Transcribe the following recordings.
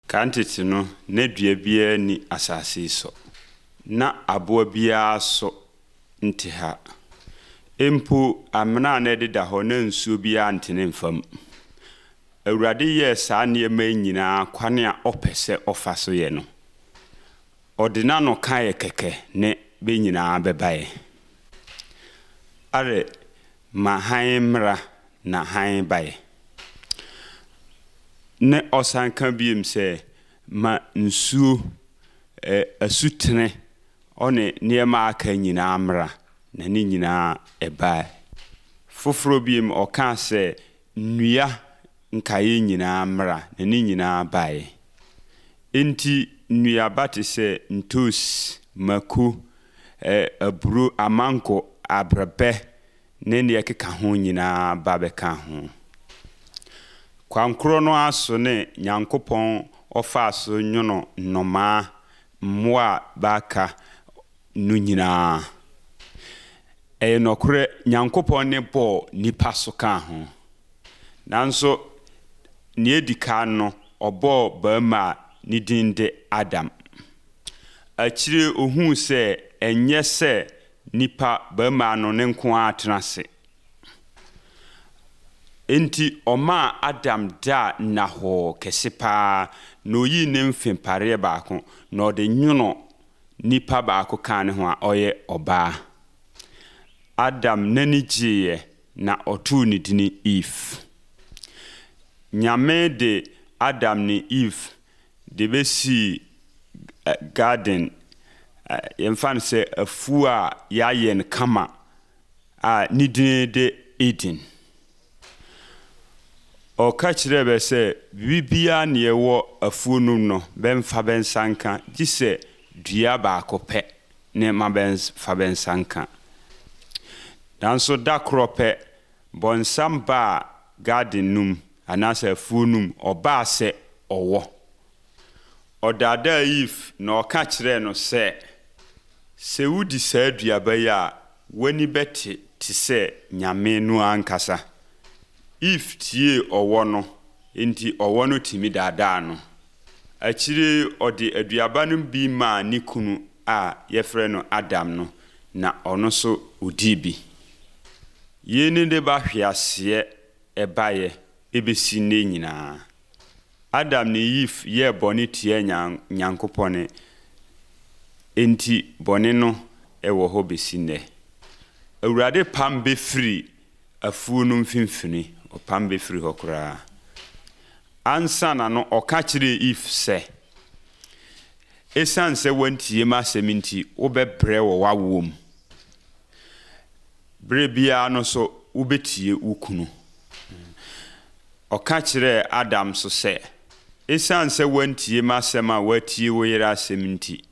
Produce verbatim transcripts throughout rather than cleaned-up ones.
Kan tete no, na dua biara nni asase yi so. Na aboa biara so nte ha. Mpo amena a na ɛdeda hɔ na nsuo biara ntene mfa mu. Awurade yɛɛ saa nneɛma yi nyinaa kwane a ɔpɛ sɛ ɔfa so yɛ no. Ɔde n'ano kaeɛ kɛkɛ ne bɛ nyinaa bɛbaeɛ. Are ma hann mmra na hann baeɛ. Ne ɔsan ka biem sɛ ma nsuo ɛ asutene ɔne nneɛma a aka nyinaa mmra na ne nyinaa ɛbaeɛ. Foforɔ biem ɔkaa sɛ nnua nkaeɛ nyinaa mmra na ne nyinaa baeɛ. Enti nnuaba te sɛ ntoos, mako, ɛ aburo, amango, abrɛbɛ ne nea ɛkeka ho nyinaa ba bɛka ho. Kwan korɔ no ara so ne Nyankopɔn ɔfaa so nwono nnomaa, mmoa a baaka no nyinaa. Ɛyɛ nɔkorɛ Nyankopɔn ne bɔɔ nipa so kaa ho. Nanso nea edi kan no, ɔbɔɔ barima a ne din de Adam. Akyire ohuu sɛ ɛnyɛ sɛ nipa barima no ne nko ara tena ase. Enti ɔmaa Adam daa nnahɔɔ kɛse paa na oyii ne mfempareɛ baako na ɔde nwono nipa baako kaa ne ho a ɔyɛ ɔbaa. Adam n'ani gyeeɛ na ɔtoo ne dini Eve. Nyame de Adam ne Eve de bɛsii garden, yɛmfa no sɛ afuo a yɛayɛ no kama a ne din de Eden. Ɔka kyerɛɛ bɛ sɛ biribiara ne ɛwɔ afuo no mu no bɛmfa bɛ nsa nka gye sɛ dua baako pɛ ne ma bɛmfa bɛ nsa nka. Nanso da korɔ pɛ, bɔnsam baa garden no mu anaasɛ afuo no mu, ɔbaa sɛ ɔwɔ. Ɔdaadaa Eve na ɔka kyerɛɛ no sɛ, sɛ wodi saa aduaba yi a, w'ani bɛte te sɛ Nyame no ankasa. Eve tiee ɔwɔ no, enti ɔwɔ no tumi daadaa no. Akyire ɔde aduaba no bi maa ne kunu a yɛfrɛ no Adam no, na ɔno nso odii bi. Yei ne de ba hweaseɛ ɛbaeɛ ɛbɛsi nnɛ nyinaa. Adam ne Eve yɛɛ bɔne tia Nyankopɔn, enti bɔne no ɛwɔ hɔ bɛsi nnɛ. Awurade pam bɛfiri afuo no mfimfini, ɔpam bɛfiri hɔ koraa. Ansa na no ɔka kyerɛɛ Eve sɛ, ɛsiane sɛ woantie m'asɛm nti, wobɛbrɛ wɔ w'awoɔ mu. Berɛ biara no so wobɛtie wo kunu. Ɔka kyerɛɛ Adam so sɛ, ɛsiane sɛ woantie m'asɛm a woatie wo yere asɛm nti,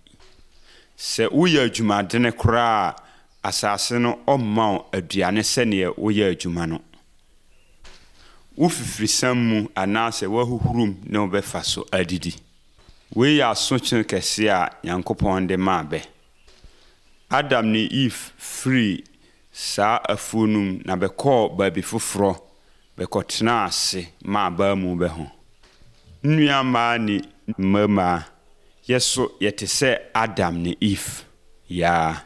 sɛ woyɛ adwumadene koraa a, asase no ɔmma wo aduane sɛneɛ woyɛ adwuma no. Wo fifirisam mu anaasɛ w'ahuhurum ne wobɛfa so adidi. Wei yɛ asotwe kɛseɛ a Nyankopɔn de maa bɛ. Adam ne Eve firii saa afuo no mu na bɛkɔɔ baabi foforɔ bɛkɔtenaa ase maa baa mu bɛ ho. Nnua mmaa ne mmarima, yɛ so yɛte sɛ Adam ne Eve yaa.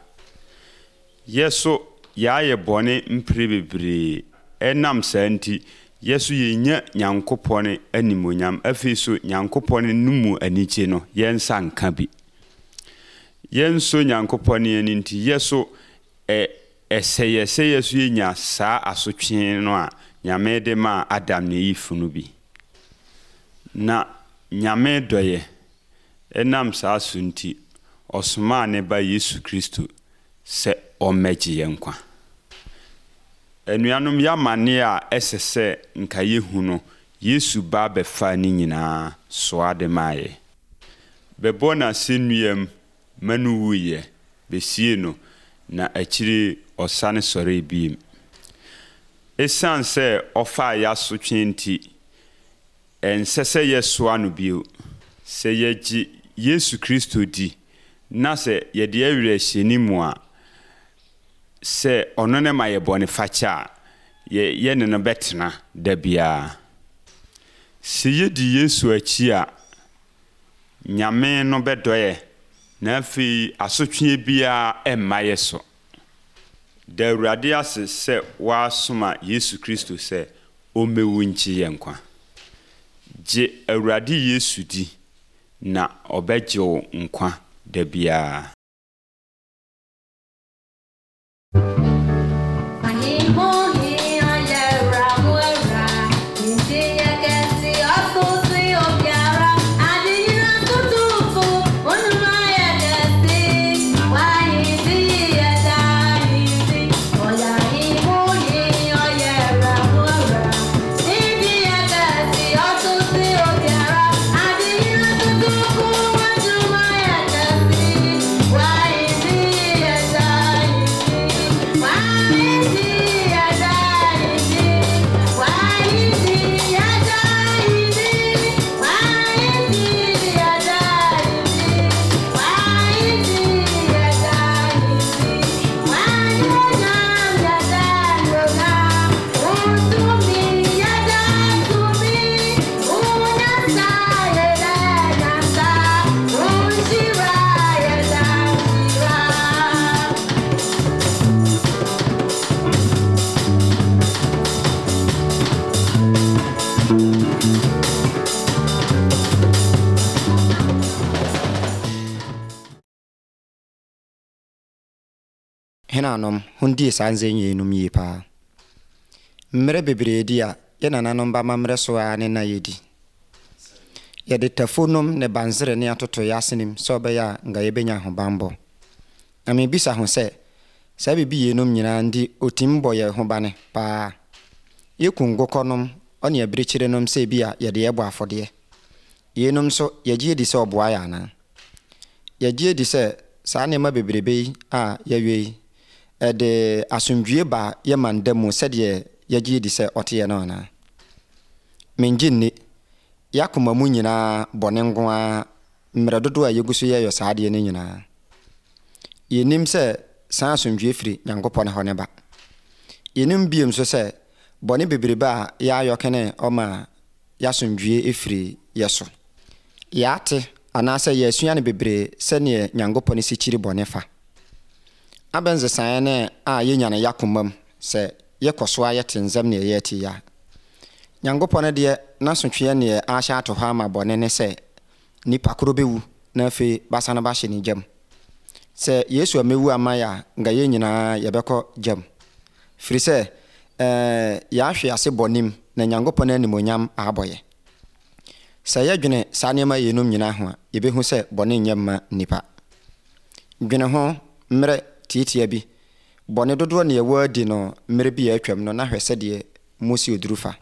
Yɛ so yɛayɛ bɔne mpere bebree. Ɛnam saa nti, yɛ so yɛnya Nyankopɔn animuonyam. Afei so Nyankopɔn no mu anigye no, yɛn nsa nka bi. Yɛn nso Nyankopɔn ani nti, yɛ so ɛ ɛsɛ yɛ sɛ yɛ so yɛnya saa asotwe no a Nyame de maa Adam ne Eve no bi. Na Nyame dɔ yɛ. Ɛnam saa so nti, ɔsomaa ne ba Yesu Kristo sɛ ɔmmɛgye yɛn nkwa. Anuanom, yɛamanneɛ a ɛsɛ sɛ nka yɛhu no, Yesu ba bɛfaa ne nyinaa soa de maa yɛ. Bɛbɔ n'asɛnnuam ma no wuyɛ, besie no, na akyiri ɔsane sɔree biem. Ɛsiane sɛ ɔfaa yɛasotwe nti, ɛnsɛ sɛ yɛsoa no bio. Sɛ yɛgye Yesu Kristo di na sɛ yɛde awerɛhyɛ ne mu a, sɛ ɔno ne ma yɛ bɔne fakyɛ a, yɛ yɛne no bɛtena da biara. Sɛ yɛdi Yesu akyi a, Nyame no bɛdɔ yɛ, na afei asotwe biara ɛmma yɛ so. Da Awurade ase sɛ wasoma Yesu Kristo sɛ ɔmmɛwu nkye yɛn nkwa. Gye Awurade Yesu di na ɔbɛgye wo nkwa da biara. Henanom hundie saa nsɛm yeinom yie paa. Mmerɛ bebree di a yɛ nananom ba amammerɛ so a ne na yɛdi. Yɛde tafonom ne bansere ne atoto yɛ asenem sɛ ɔbɛyɛ a nka yɛbɛnya ahobanbɔ. Na mebisa ho sɛ, saa biribi yeinom nyinaa nti otim bɔ yɛ ho bane paa. Yɛku nkokɔnom ɔne abirekyirenom sɛ bi a yɛde yɛbɔ afɔdeɛ. Yeinom nso yɛgye di sɛ ɔboa yɛ anaa? Yɛgye di sɛ saa nneɛma bebrebe yi a yɛwie yi, ɛde asomdwie ba yɛ man da mu sɛdeɛ yɛgye di sɛ ɔteɛ no anaa? Mengye nni. Yɛakoma mu nyinaa bɔne nko ara mmerɛ dodoɔ a yɛgu so yɛyɛ saa adeɛ no nyinaa. Yɛnim sɛ saa asomdwie firi Nyankopɔn hɔ ne ba. Yɛnim bio nso sɛ bɔne bebrebe a yɛayɔ kene ɔma yɛasomdwie efiri yɛ so. Yɛate anaasɛ yɛasua no bebree sɛneɛ Nyankopɔn si kyiri bɔne fa. Abɛnsesaeɛ ne a yɛnya no yɛakoma mu sɛ yɛkɔ so a yɛte nsɛm neɛ yɛte yi a. Nyankopɔn deɛ n'asotweɛ neɛ ahyɛ ato hɔ ama bɔne ne sɛ nipa koro bɛwu na afei basane bahyɛ ne gyam. Sɛ Yesu ammɛwu ama yɛ a, nka yɛn nyinaa yɛbɛkɔ gyam. Firi sɛ ɛɛ yɛahwe ase bɔnem na Nyankopɔn animonyam abɔ yɛ. Sɛ yɛdwene saa nneɛma yeinom nyinaa ho a, yɛbɛhu sɛ bɔne nyɛ mma nnipa. Dwene ho mmerɛ tiatia bi. Bɔne dodoɔ ne yɛwɔ adi no mmerɛ bi a atwam no na hwɛ sɛdeɛ Mose oduru fa.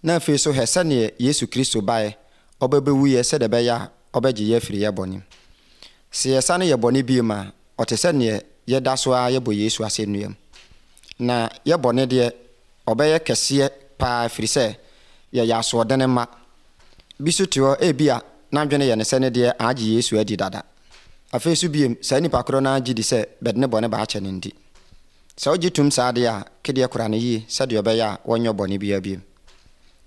Na afei so hwɛ sɛneɛ Yesu Kristo baeɛ ɔbɛbɛwuyɛ sɛdeɛ ɛbɛyɛ a ɔbɛgye yɛ afiri yɛ bɔne mu. Sɛ yɛsane yɛ bɔne bio a, ɔte sɛ neɛ yɛda so ara yɛbɔ Yesu asɛnnua mu. Na yɛ bɔne deɛ, ɔbɛyɛ kɛseɛ paa firi sɛ yɛyɛ asoɔdene mma. Bi so te hɔ ebi a n'adwene yɛ ne sɛ ne deɛ agye Yesu adi dada. Afei so biem, saa nipa korɔ no agye di sɛ bɛde ne bɔne baakyɛ no nti. Sɛ wogye tom saa adeɛ a, kedeɛ kora no yie sɛdeɛ ɔbɛyɛ a wɔnyɛ bɔne biara biem.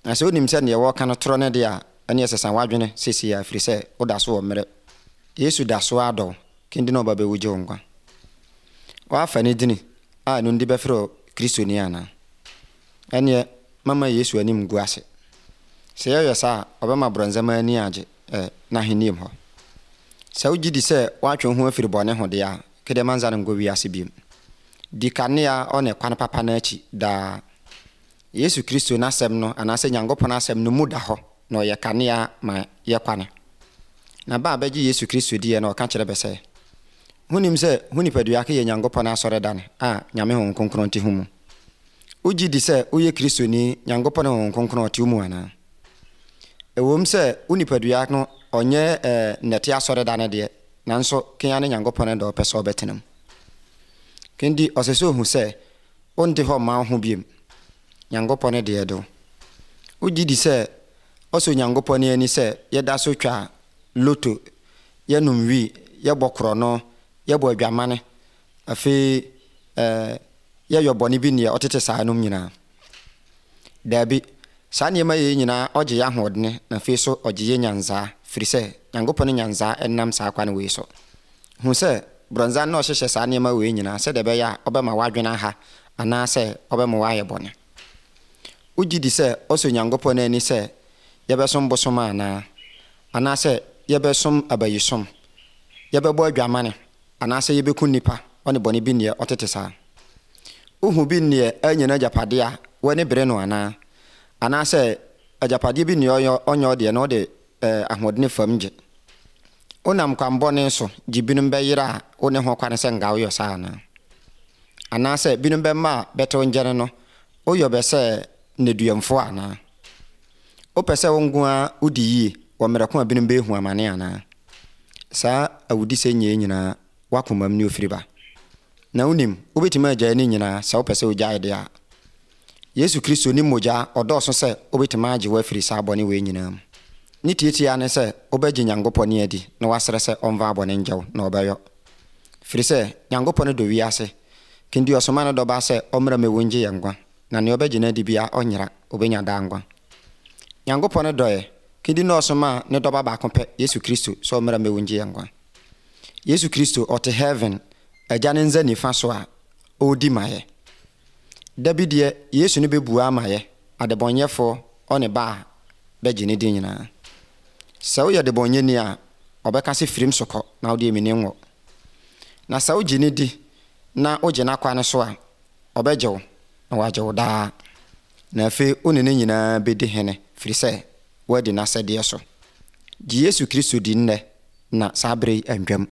Na sɛ wonim sɛ neɛ wɔreka no torɔ ne deɛ a, ɛne ɛsesa w'adwene seesei a ɛfiri sɛ woda so wɔ mmerɛ. Yesu da so adɔ wo, kendi na ɔba bɛwu gye wo nkwa. Woafa ne dini a ɛno ndi bɛfrɛ wo Kristoni anaa? Ɛneɛ mama Yesu anim ngu ase. Sɛ yɛyɛ saa a, ɔbɛma borɔnsam ani agye ɛ n'ahenniam hɔ. Sɛ wogye di sɛ woatwe wo ho afiri bɔne ho deɛ a, kedeɛ mansa no nkɔ wiase biom. Di kanea ɔne kwan papa no akyi daa. Yesu Kristo n'asɛm no anaasɛ Nyankopɔn asɛm no mu da hɔ na ɔyɛ kanea ma yɛ kwane. Na ba a bɛgye Yesu Kristo diɛ na ɔka kyerɛ bɛ sɛ, honim sɛ ho nipadua ke yɛ Nyankopɔn asɔredane a Nyame Honhom Kronkron te ho mu. Wogye di sɛ woyɛ Kristoni, Nyankopɔn Honhom Kronkron ɔte wo mu anaa? Ɛwom sɛ wo nipadua no ɔnyɛ ɛɛ nnɛte asɔredane deɛ, nanso kea ne Nyankopɔn dɛ ɔpɛ sɛ ɔbɛtena mu. Kendi ɔsɛ sɛ ohu sɛ wonte hɔ mma wo ho biem. Nyankopɔn deɛ do. Wogye di sɛ ɔsɔ Nyankopɔn ani sɛ yɛda so twa loto, yɛnom wi, yɛbɔ korɔno, yɛbɔ adwamane, afei ɛɛ yɛyɔ bɔne bi neɛ ɔtete saa nom nyinaa. Daabi, saa nneɛma yi nyinaa ɔgye yɛ ahoɔdene na afei so ɔgye yɛ nyansaa firi sɛ Nyankopɔn nyansaa ɛnam saa kwan wei so. Hu sɛ brɔnsan na ɔhyehyɛ saa nneɛma wei nyinaa sɛdeɛ ɛbɛyɛ a ɔbɛma w'adwene aha anaasɛ ɔbɛma w'ayɛ bɔne. Wogye di sɛ ɔsɔ Nyankopɔn ani sɛ yɛbɛsom bosom anaa anaasɛ yɛbɛsom abayisom, yɛbɛbɔ adwamane anaasɛ yɛbɛku nnipa ɔne bɔne bi neɛ ɔtete saa. Wohu bi neɛ anya n'agyapadeɛ a w'ani bere no anaa anaasɛ agyapadeɛ bi neɛ ɔnyɛ ɔnyɛ ɔdeɛ na ɔde ɛɛ ahoɔdene fam gye. Wonam kwan bɔne so gye binom bɛyera a wo ne ho kwane sɛ nka woyɛ saa anaa anaasɛ binom bɛma a bɛtew ngyɛne no woyɛ bɛ sɛ nneduamfoɔ anaa. Wopɛ sɛ wo nko ara wodi yie wɔ mmerɛ ko a binom bɛhu amane anaa. Saa awudisɛ nyɛ nyinaa w'akomam ne ofiri ba. Na wonim, wobɛtumi agyae ne nyinaa sɛ wopɛ sɛ wogyae deɛ a. Yesu Kristo ne mogya ɔdɔɔso sɛ wobɛtumi agye wo afiri saa bɔne wei nyinaa mu. Ne tietia ne sɛ wobɛgye Nyankopɔn adi na wasrɛ sɛ ɔmfa abɔne nkyɛ wo na ɔbɛyɔ. Firi sɛ Nyankopɔn dɔ wiase, kendi ɔsoma ne dɔba sɛ ɔmmra mmɛwu ngye yɛn nkwa, na nea ɔbɛgye no adi bia ɔnyera, obɛnya daa nkwa. Nyankopɔn dɔ yɛ, kendi na ɔsoma ne dɔba baako pɛ, Yesu Kristo, sɛ ɔmmra mmɛwu ngye yɛn nkwa. Yesu Kristo ɔte heaven, agya ne nsa nifa so a ɔredi ma yɛ. Da bi deɛ Yesu no bɛbua ama yɛ, adebɔnyɛfoɔ ɔne ba a bɛgye ne di nyinaa. Sɛ woyɛ debɔnyɛni a, ɔbɛka sɛ firim so kɔ na wode emini nwɔ. Na sɛ wogye ne di na wogye n'akwan so a, ɔbɛgye wo na wagye wo daa. Na afei wo ne ne nyinaa bɛdi hene firi sɛ woadi n'asɛdeɛ so. Gye Yesu Kristo di nnɛ na saa berɛ yi antwam.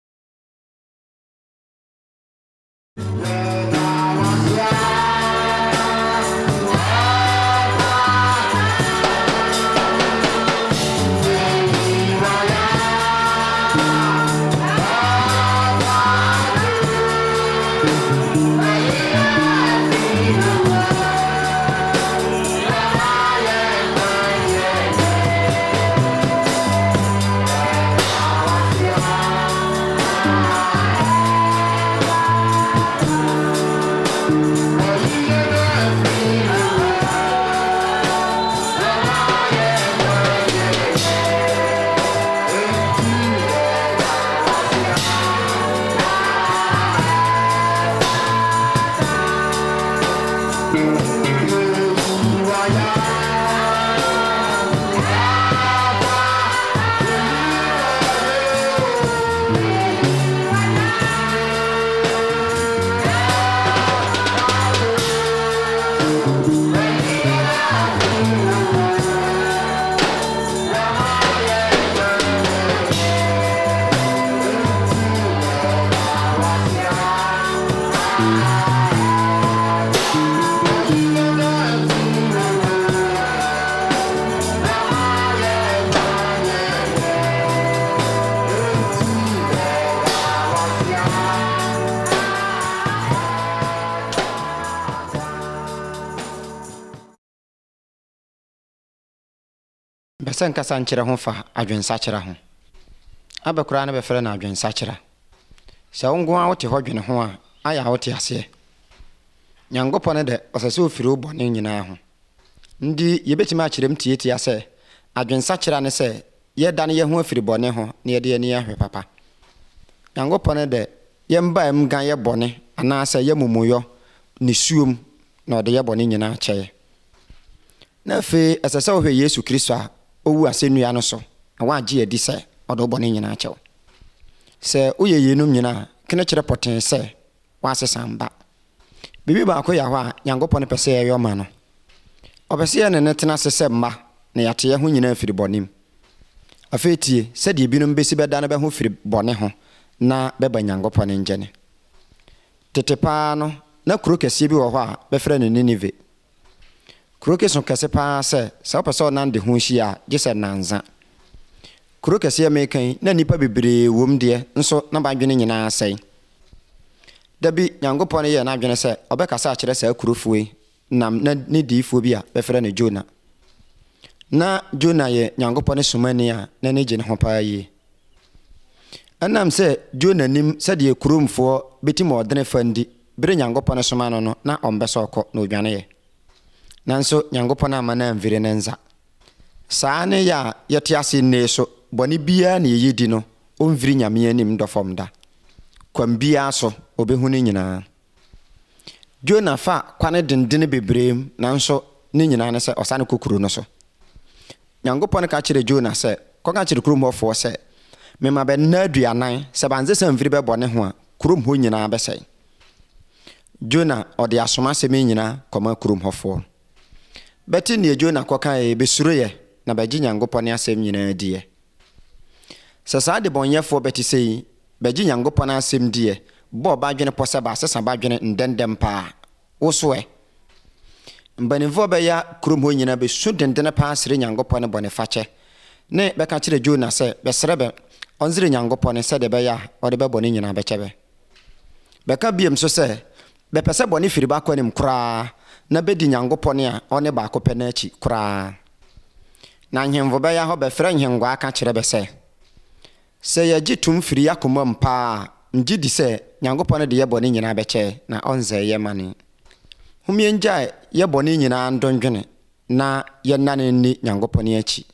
Mpɛ sɛ nkasa nkyerɛ ho fa adwensakyera ho. Abɛ koraa ne bɛfrɛ no adwensakyera. Sɛ wo nko ara wote hɔ dwene ho a, ayɛ a wote aseɛ. Nyankopɔn dɛ ɔsɛ sɛ ofiri wo bɔne nyinaa ho. Nti yɛbɛtumi akyerɛ mu tietia sɛ adwensakyera ne sɛ yɛdane yɛn ho afiri bɔne ho na yɛde yɛn ani ahwɛ papa. Nyankopɔn dɛ yɛmba mu ga yɛ bɔne anaasɛ yɛ mumuyɔ ne suom na ɔde yɛ bɔne nyinaa kyɛ yɛ. Na afei ɛsɛ sɛ wohwɛ Yesu Kristo a ɔwu asɛnnua no so na woagye adi sɛ ɔde wo bɔne nyinaa kyɛ wo. Sɛ woyɛ yeinom nyinaa, kene kyerɛ pɔtee sɛ woasesa mba. Biribi baako yɛ hɔ a Nyankopɔn pɛ sɛ yɛyɔ ma no. Ɔpɛ sɛ yɛne no tena ase sɛ mma na yɛate yɛn ho nyinaa afiri bɔne mu. Afei tie sɛdeɛ binom bɛsi bɛdane bɛ ho firi bɔne ho na bɛba Nyankopɔn nkyɛne. Tete paa no, na kuro kɛseɛ bi wɔ hɔ a bɛfrɛ no Ninive. Kuro ke so kɛse paa sɛ, sɛ wopɛ sɛ wonante ho hyia a, gye sɛ nnansa. Kuro kɛseɛ meka yi, na nnipa bebree wom deɛ, nso na bɛadwene nyinaa asɛe. Da bi, Nyankopɔn yɛɛ n'adwene sɛ ɔbɛkasa akyerɛ saa kurofoɔ yi nam na ne diyifoɔ bi a bɛfrɛ no Jona. Na Jona yɛ Nyankopɔn somani a n'ani gye ne ho paa yie. Ɛnam sɛ Jona nim sɛdeɛ kuromfoɔ bɛtim ɔdene fa ndi, bere Nyankopɔn soma no no, na ɔmpɛ sɛ ɔkɔ na odwaneeɛ. Nanso Nyankopɔn amma no amfiri ne nsa. Saa ne yɛ a yɛte ase nnɛ so, bɔne biara na yɛyɛ di no, ɔmfiri Nyame anim dɔ fam da. Kwan biara so, ɔbɛhu no nyinaa. Jona fa kwane dendene bebree mu, nanso ne nyinaa ne sɛ ɔsane kɔ kuro no so. Nyankopɔn ka kyerɛ Jona sɛ, kɔka kyerɛ kurom hɔfoɔ sɛ, mema bɛ nna aduanan, sɛ bansesa mfiri bɛ bɔne ho a, kurom hɔ nyinaa bɛsɛe. Jona ɔde asoma asɛm yi nyinaa kɔma kurom hɔfoɔ. Bɛte nea Jona kɔkaeɛ, bɛsuroeɛ na bɛgye Nyankopɔn asɛm nyinaa diɛ. Sɛ saa adebɔnyɛfoɔ bɛte sɛ yi, bɛgye Nyankopɔn asɛm diɛ, bɔɔ badwene pɔ sɛ baasesa badwene ndɛndɛm paa. Wo so ɛ? Mpanimfoɔ bɛya kurom hɔ nyinaa bɛsu dendene paa sere Nyankopɔn bɔne fakyɛ. Ne bɛka kyerɛ Jona sɛ bɛsrɛ bɛ ɔnsere Nyankopɔn sɛdeɛ ɛbɛyɛ a ɔde bɛ bɔne nyinaa bɛkyɛ bɛ. Bɛka biom so sɛ bɛpɛ sɛ bɔne firi bɛ akwanem koraa na bɛdi Nyankopɔn a ɔne baako pɛ no akyi koraa. Na nhemfo bɛya hɔ bɛfrɛ nhenguaa ka kyerɛ bɛ sɛ, sɛ yɛgye tom firi yɛ akoma mu paa a, ngye di sɛ Nyankopɔn de yɛ bɔne nyinaa bɛkyɛ na ɔnsɛe yɛ mane. Homie ngyae yɛ bɔne nyinaa ndwendwene na yɛnnane nni Nyankopɔn akyi.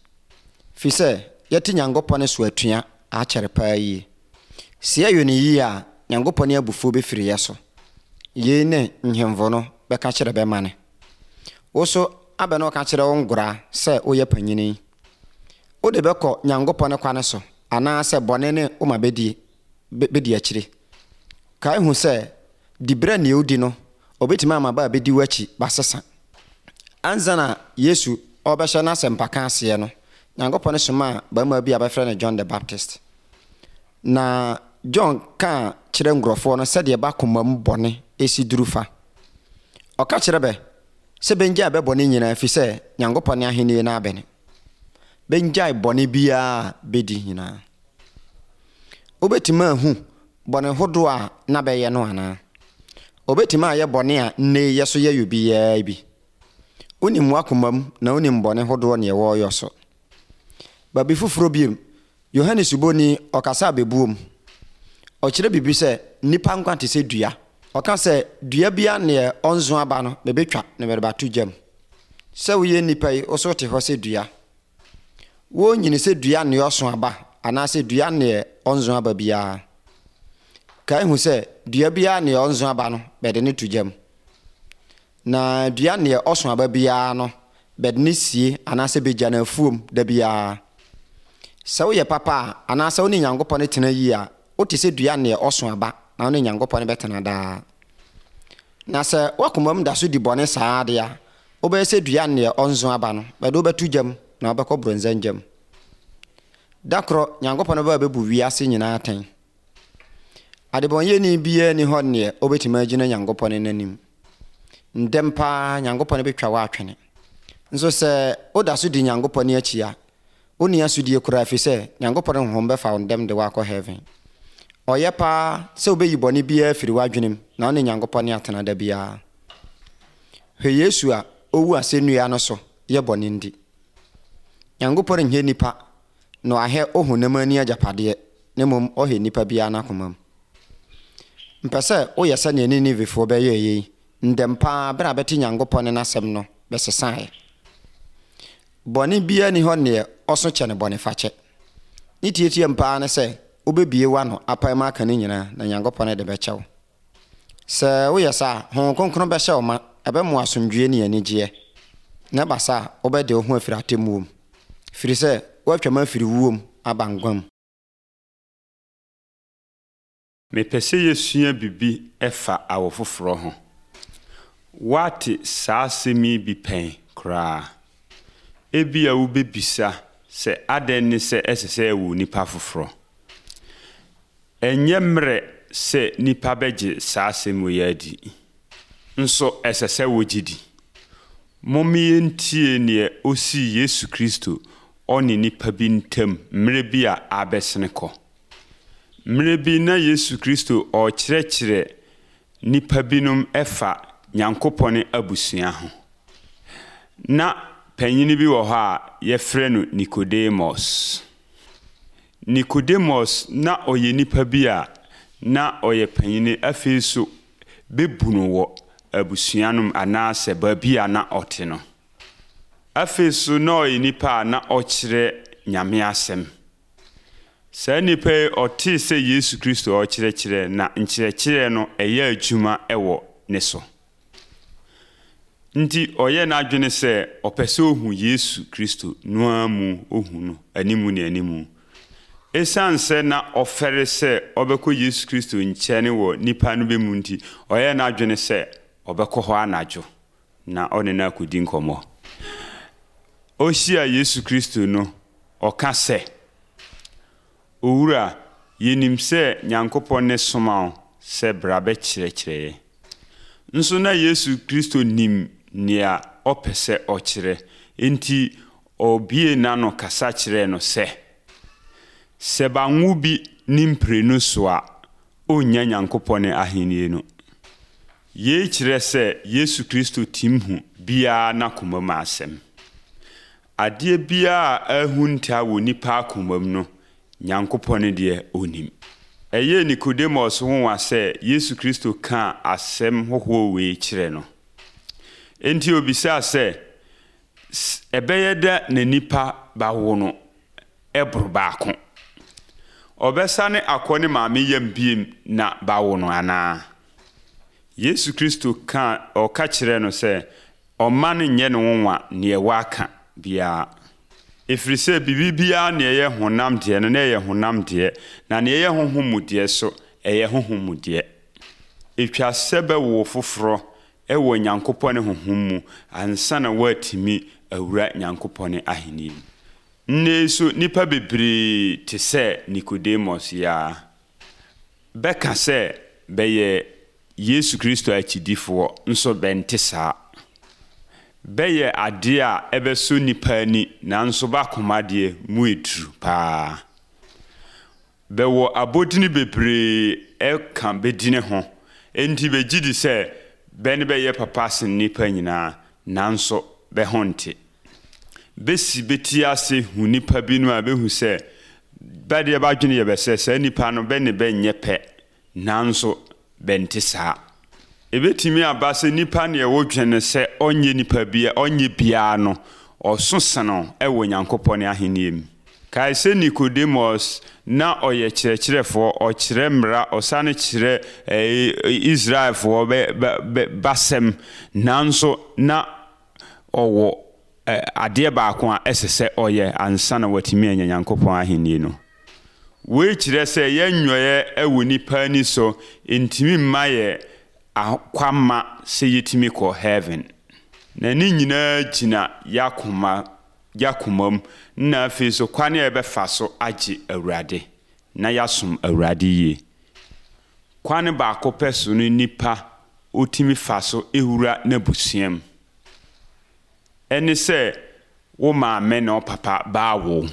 Firi sɛ yɛte Nyankopɔn so atua akyɛre paa yie. Sɛ yɛyɛ no yie a, Nyankopɔn abufuo bɛfiri yɛ so. Yei ne nhemfo no bɛka kyerɛ bɛma ne. Wo so abɛ na ɔka kyerɛ wo ngoraa sɛ woyɛ panyini. Wode bɛkɔ Nyankopɔn kwane so anaasɛ bɔne ne woma bɛdi bɛdi akyire. Kae hu sɛ diberɛ nea odi no, obɛtumi ama ba a bɛdi w'akyi basesa. Ansa na Yesu ɔbɛhyɛ n'asɛmpaka aseɛ no, Nyankopɔn somaa barima bi a bɛfrɛ no John the Baptist. Na John kaa kyerɛ nkurɔfoɔ no sɛdeɛ ba koma mu bɔne esi duru fa. Ɔka kyerɛ bɛ sɛ bɛngyae bɛ bɔne nyinaa ɛfiri sɛ Nyankopɔn ahennie no abɛne. Bɛngyae bɔne biara bɛdi nyinaa. Wobɛtumi ahu bɔne hodoɔ a na bɛyɛ no anaa? Obɛtumi ayɛ bɔne a nnɛ yɛ so yɛ obiara bi. Wonim w'akoma mu na wonim bɔne hodoɔ neɛ wɔreyɔ so. Baabi foforɔ biom, Yohane Suboni ɔkasa abɛbuom. Ɔkyerɛ biribi sɛ nnipa nkwa te sɛ dua. Ɔka sɛ dua bia neɛ ɔnso aba no bɛbɛtwa na bɛde bato gyam. Sɛ woyɛ nnipa yi, wo so te hɔ sɛ dua. Wɔnyini sɛ dua neɛ ɔso aba anaasɛ dua neɛ ɔnso aba biara. Kae hu sɛ dua biara neɛ ɔnso aba no bɛde ne to gyam. Na dua neɛ ɔso aba biara no bɛde ne sie anaasɛ bɛgya no afuom da biara. Sɛ woyɛ papa a anaasɛ wo ne Nyankopɔn tena yie a, wote sɛ dua neɛ ɔso aba na wo ne Nyankopɔn bɛtena daa. Na sɛ w'akoma mu da so di bɔne saa adeɛ a, wobɛyɛ sɛ dua neɛ ɔnso aba no, bɛde wobɛto gyam na wobɛkɔ borɔnsam gyam. Da korɔ Nyankopɔn bɛba bɛbu wiase nyinaa atɛn. Adebɔnyɛni biara ni hɔ neɛ obɛtumi agyina Nyankopɔn n'anim. Ndɛm paa Nyankopɔn bɛtwa wo atwene. Nso sɛ woda so di Nyankopɔn akyi a, wonni asodie koraa ɛfiri sɛ Nyankopɔn honhom bɛfa wo ndɛm de wo akɔ heaven. Ɔyɛ paa sɛ wobɛyi bɔne biara firi w'adwenem na wo ne Nyankopɔn atena da biara. Hwɛ Yesu a ɔwu asɛnnua no so yɛ bɔne ndi. Nyankopɔn nyɛ nipa na wahɛ ohonam ani agyapadeɛ na mmom ɔhɛ nipa biara n'akoma mu. Mpɛ sɛ woyɛ sɛdeɛ Ninevefoɔ bɛyɛɛ yei ndɛm paa berɛ a bɛte Nyankopɔn ne n'asɛm no bɛsesaeɛ. Bɔne biara ni hɔ neɛ ɔso kyɛ ne bɔne fakyɛ. Ne tietie paa ne sɛ wobɛbie w'ano apae mu aka ne nyinaa na Nyankopɔn de bɛkyɛ wo. Sɛ woyɛ saa a, Honhom Kronkron bɛhyɛ wo ma, ɛbɛmo asomdwie ne anigyeɛ. Na ɛba saa a, wobɛde wo ho afiri atemmuo mu. Firi sɛ woatwam afiri wuo mu aba nkwa mu. Mepɛ sɛ yɛsua biribi ɛfa awo foforɔ ho. Woate saa asɛm yi bi pɛn? koraa. Ebia wobɛbisa sɛ adɛn ne sɛ ɛsɛ sɛ ɛwɔ nipa foforɔ. Ɛnyɛ mmerɛ sɛ nipa bɛgye saa asɛm wei adi. Nso ɛsɛ sɛ wogye di. Momma yɛntie neɛ osii Yesu Kristo ɔne nipa bi ntam mmerɛ bi a abɛsene kɔ. Mmerɛ bi na Yesu Kristo ɔrekyerɛkyerɛ nipa binom ɛfa Nyankopɔn abusua ho. Na panyini bi wɔ hɔ a yɛfrɛ no Nicodemus. Nicodemus na ɔyɛ nipa bi a na ɔyɛ panyini afei so bɛbu no wɔ abusua no mu anaasɛ baabi a na ɔte no. Afei so na ɔyɛ nipa a na ɔkyerɛ Nyame asɛm. Saa nipa yi ɔtee sɛ Yesu Kristo ɔrekyerɛkyerɛ na nkyerɛkyerɛ no ɛyɛ adwuma ɛwɔ ne so. Nti ɔyɛ n'adwene sɛ ɔpɛ sɛ ohu Yesu Kristo no ara mu ohu no animu ne animu. Esiane sɛ na ɔfɛre sɛ ɔbɛkɔ Yesu Kristo nkyɛn wɔ nipa no bɛ mu nti, ɔyɛ n'adwene sɛ ɔbɛkɔ hɔ anadwo na ɔne no akɔdi nkɔmmɔ. Ohyia Yesu Kristo no, ɔka sɛ, Owura, yɛnim sɛ Nyankopɔn ne soma wo sɛ bra bɛkyerɛkyerɛ yɛn. Nso na Yesu Kristo nim nea ɔpɛ sɛ ɔkyerɛ. Enti ɔbie n'ano kasa kyerɛɛ no sɛ, sɛ banwo bi ne mprenu so a, ɔnnya Nyankopɔn ahennie no. Yei kyerɛ sɛ Yesu Kristo tim hu biara n'akoma mu asɛm. Adeɛ biara a ahunta wɔ nipa akoma mu no, Nyankopɔn deɛ onim. Ɛyɛɛ Nicodemus nwonwa sɛ Yesu Kristo kaa asɛm hohoɔ wei kyerɛ no. Enti obisaa sɛ, ɛbɛyɛ dɛ na nipa bawo no ɛboro baako. Ɔbɛsane akɔ ne maame yam biem na bawo no anaa? Yesu Kristo ka ɔka kyerɛ no sɛ ɔmma no nyɛ no nwonwa neɛ waka biara. Ɛfiri sɛ biribi biara nea ɛyɛ honam deɛ no na ɛyɛ honam deɛ, na nea ɛyɛ honhom mu deɛ so ɛyɛ honhom mu deɛ. Ɛtwa sɛ bɛwo foforɔ ɛwɔ Nyankopɔn ne honhom mu ansa na woatumi awura Nyankopɔn ahenni mu. Nnɛ yi so nnipa bebree te sɛ Nicodemus yi ara. Bɛka sɛ bɛyɛ Yesu Kristo akyidifoɔ nso bɛnte saa. Bɛyɛ adeɛ a ɛbɛsɔ nipa ani nanso bɛakoma deɛ mu eduru paa. Bɛwɔ abodini bebree ɛka bɛdini ho. Enti bɛgye di sɛ bɛ ne bɛyɛ papa sen nnipa nyinaa nanso bɛ ho nte. Bɛsi bɛti ase hu nipa binom a bɛhu sɛ bɛdeɛ bɛadwene yɛ bɛ sɛ saa nipa no bɛ ne bɛnyɛ pɛ nanso bɛnte saa. Ebɛtumi aba sɛ nipa neɛ wodwene sɛ ɔnyɛ nipa bia ɔnyɛ biara no ɔso sene ɛwɔ Nyankopɔn ahenni mu. Kae sɛ Nicodemus na ɔyɛ kyerɛkyerɛfoɔ, ɔkyerɛ mmara, ɔsane kyerɛ ɛɛ Israelfoɔ bɛ bɛ basɛm nanso na ɔwɔ ɛ adeɛ baako a ɛsɛ sɛ ɔyɛ ansa na watumi anya Nyankopɔn ahenni no. Wei kyerɛ sɛ yɛn nnwɔeɛ ɛwɔ nipa ani so ntumi mma yɛ akwamma sɛ yɛtumi kɔ heaven. Na ne nyinaa gyina yɛakoma yɛakoma mu na afei so kwan a yɛbɛfa so agye Awurade na yɛasom Awurade yie. Kwan baako pɛ so no nipa otumi fa so ewura n'abusua mu. Ɛne sɛ wo maame ne wo papa baawo.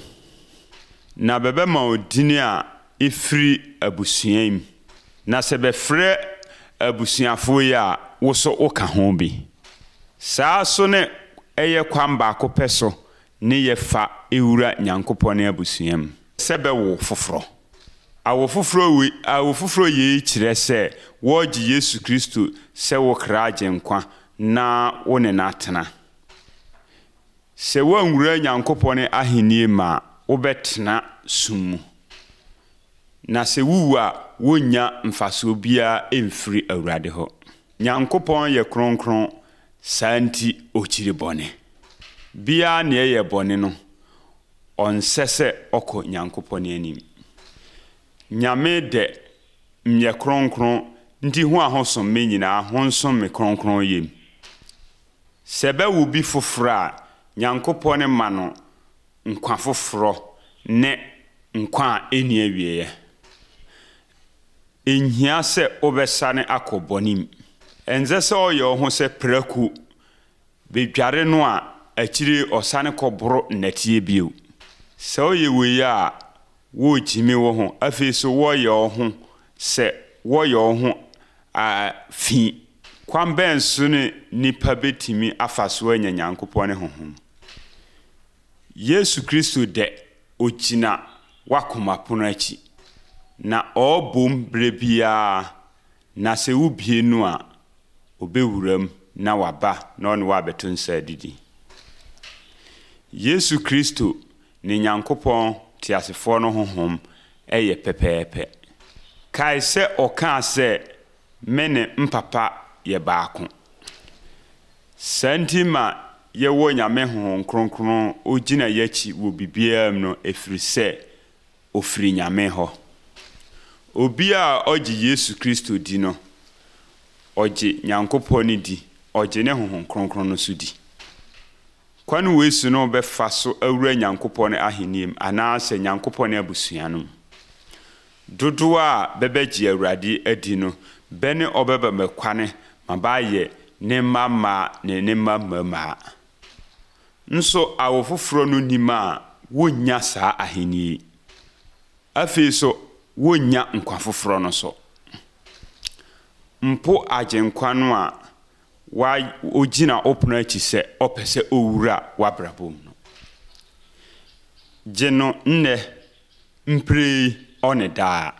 Na bɛbɛma wo dini a ɛfiri abusua yi mu. Na sɛ bɛfrɛ abusuafoɔ yi a wo so woka ho bi. Saa so ne ɛyɛ kwan baako pɛ so ne yɛfa ewura Nyankopɔn abusua mu. Sɛ bɛwo foforɔ. Awo foforɔ wei awo foforɔ yei kyerɛ sɛ wɔregye Yesu Kristo sɛ wo kra agyenkwa na wo ne no atena. Sɛ woanwura Nyankopɔn ahenni mu a, wobɛtena sum mu. Na sɛ wowu a, wonnya mfasoɔ biara mfiri Awurade hɔ. Nyankopɔn yɛ kronkron, saa nti ɔkyiri bɔne. Biara nea ɛyɛ bɔne no, ɔnsɛ sɛ ɔkɔ Nyankopɔn anim. Nyame dɛ nyɛ kronkron nti ho a hosom me nyinaa honsom me kronkron yam. Sɛ bɛwo bi foforɔ a, Nyankopɔn ma no nkwa foforɔ ne nkwa a ɛnni awieeɛ. Ɛnhia sɛ wobɛsane akɔ bɔne mu. Ɛnsɛ sɛ ɔyɛ wo ho sɛ prako bedware no a akyire ɔsane kɔboro nnɛteɛ bio. Sɛ woyɛ wei a, wogyimi wo ho. Afei so wɔyɛ wo ho sɛ wɔyɛ wo ho a fi. Kwan bɛn so ne nipa bɛtumi afa so anya Nyankopɔn ne Honhom? Yesu Kristo dɛ ogyina w'akoma pono akyi na ɔrebom berɛ biara, na sɛ wobie no a, obɛwura mu na waba na ɔne wo abɛto nsa adidi. Yesu Kristo ne Nyankopɔn teasefoɔ no honhom ɛyɛ pɛpɛɛpɛ. Kae sɛ ɔkaa sɛ me ne mpapa yɛ baako. Saa nti ma yɛwɔ Nyame Honhom Kronkron ogyina yɛakyi wɔ biribiara mu no, ɛfiri sɛ ofiri Nyame hɔ. Obi a ɔgye Yesu Kristo di no, ɔgye Nyankopɔn no di, ɔgye ne Honhom Kronkron no so di. Kwan wei so no bɛfa so awura Nyankopɔn ahenni mu anaasɛ Nyankopɔn abusua no mu. Dodoɔ a bɛbɛgye Awurade adi no, bɛ ne ɔbɛba mɛkwane ma baayɛ ne mma mmaa ne ne mma mmarima. Nso awo foforɔ no nim a wonnya saa ahenni yi. Afei so wonnya nkwa foforɔ no so. Mpo agyenkwa no a wa ogyina wo pono akyi sɛ ɔpɛ sɛ owura w'abrabɔ mu no. Gye no nnɛ mprɛ ɔne daa.